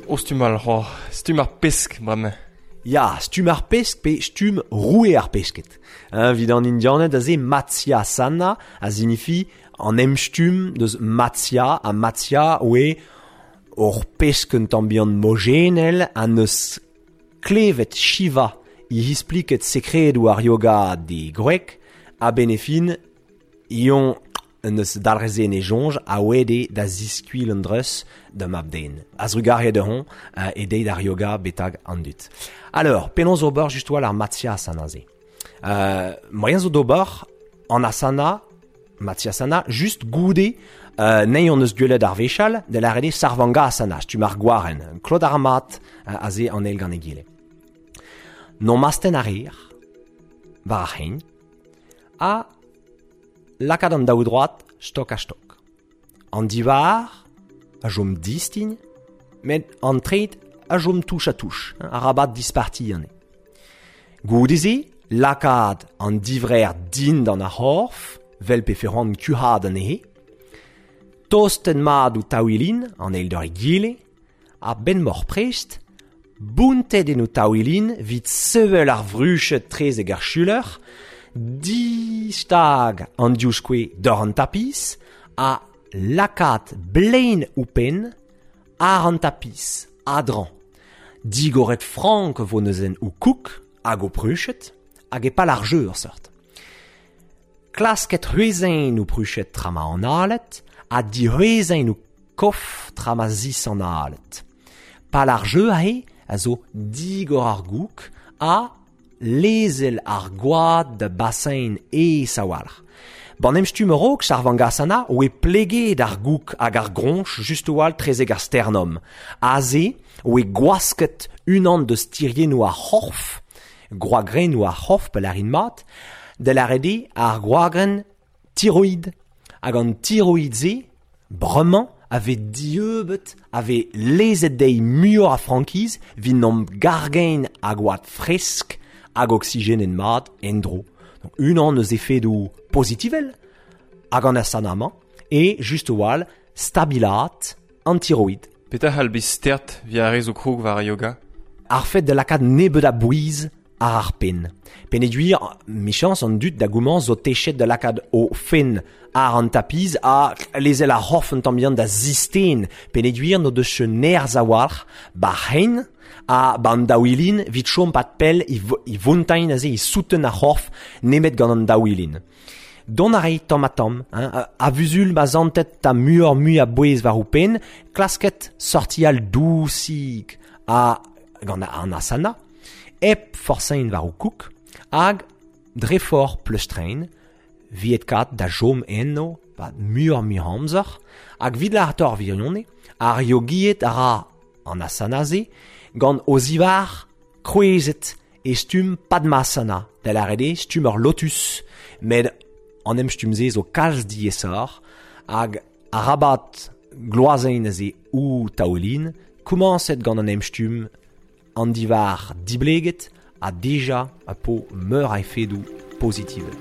O stumm all c'hoazh, stumm ar pesk bremañ. Ya, stumm ar pesk pe stumm roue ar pesked. Hein, evit an Indianed aze Matsyasana a signifi an emstumm deus Matsya ha Matsya oe ur pesk un tamm bihan mojenel ha neus klevet Shiva i ispliket sekredoù ar yoga d'e gwreg a-benn e fin Ion en deus dalc'het en e soñj a oa eo da ziskuilh an dreuz da mab-den. A-zrugarez dezhañ e deiz ar yoga betek an dud. Alors, penaos ober just war ar Matsyasana se? Moaien zo d'ober an asana, Matsyasana, just goude nei hon eus gwelet ar wechall, da lâret eo Sarvangasana, stumm ar gwarenn, klot ar mat aze an eil gant egile. N'omp astenn a reer war ar c'hein, ha lakaat an daoudroad stok-ha-stok. An divhar a chom distign, met an treid a chom touch-ha-touch, arabat dispartiañ anezhe. Goude-se, lakaat an divrec'h dindan ar c'horf, 'vel pe c'hoant kuc'haat anezhe, tostenn mat ouzh taouilin an eil d'ar egile, a-benn m'oc'h prest, bountet en ho taouilin 'vit sevel ar vruched 'trezek ar chuler, distag an divskouez doc'h an tapis ha lakaat blein ho penn àr an tapis a-dreñv. Digoret frank 'vo neuze ho koug hag ho pruched hag e pal ar jeu ur seurt. Klasket c'hwezhañ ho pruched tra ma analet ha dic'hwezhañ ho kof tra ma zisanalet. Pal ar jeu aze a zo digor ar goug ha lezel ar gwad da basein aes a-walc'h. Ban em stumm a-raok, Sarvangasana, oe pleget ar goug hag ar groñch just a-walc'h trezek ar sternum. Aze oe gwasket unan deus tiriennoù ar c'horf, gwagrennoù ar c'horf pa lârin mat, da lâret eo ar gwagrenn tiroid. Hag an tiroid-se, bremañ, a vez dieubet, a vez lezet dezhi muioc'h a frankiz evit n'omp gargein a gwad fresk hag oksigenet mat en-dro. Donc unan eus efedoù pozitivel hag an asana-mañ eo just a-walc'h stabilaat an tiroid. Petra c'hall bezañ stert evit ar re zo krog war ar yoga? Ar fed da lakaat nebeut a bouez àr ar penn. Peogwir, 'michañs an dud da gomañs zo techet da lakaat o fenn àr an tapiz ha lezel ar c'horf un tamm bihan da zisten peogwir n'o deus ket nerzh a-walc'h 'ba c'hein ha 'ba an daouilin 'vit chom 'pad pell e vontañ aze e souten ar c'horf nemet gant an daouilin. Dont a ray tamm-ha-tamm, hein, a-vuzul ma santet ta muioc'h-mui a bouez war ho penn, klasket sortial dousig ha gant an asana, hep forsañ war ho koug, hag dre forzh pleustrein, viet kat da chom eno 'pad muioc'h-mui amzer, hag 'vit lâret ar wirionez, ar yogied a ra an asana-se gant o zivhar krouezet e stumm Padmasana, da lâret eo stumm ur lotus, met an emstumm-se zo kalz diaesoc'h hag arabat gloazein aze ho taoulin, komañset gant an emstumm an divhar dibleget ha dija a po meur a efedoù pozitivel.